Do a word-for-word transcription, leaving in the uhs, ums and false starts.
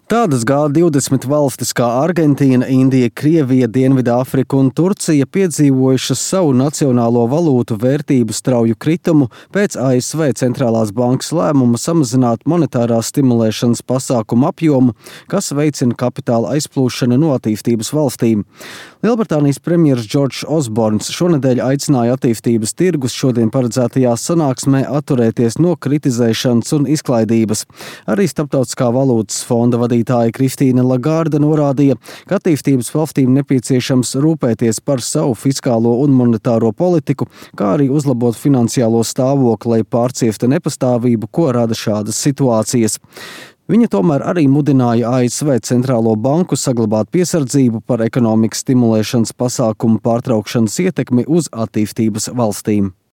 Tādas G divdesmit valstis kā Argentīna, Indija, Krievija, Dienvidāfrika un Turcija piedzīvojušas savu nacionālo valūtu vērtību strauju kritumu pēc A S V centrālās bankas lēmuma samazināt monetārās stimulēšanas pasākumu apjomu, kas veicina kapitāla aizplūšanu no attīstības valstīm. Lielbritānijas premjers Džordžs Osborns šonedēļ aicināja attīstības tirgus šodien paredzētajā sanāksmē atturēties no kritizēšanas un izklaidības. Arī Starptautiskā valūtas fonda vadītāja Kristīne Lagarde norādīja, ka attīstības valstīm nepieciešams rūpēties par savu fiskālo un monetāro politiku, kā arī uzlabot finansiālo stāvokli, lai pārcieftu nepastāvību, ko rada šādas situācijas. Viņa tomēr arī mudināja A S V centrālo banku saglabāt piesardzību par ekonomikas stimulēšanas pasākumu pārtraukšanas ietekmi uz attīstības valstīm.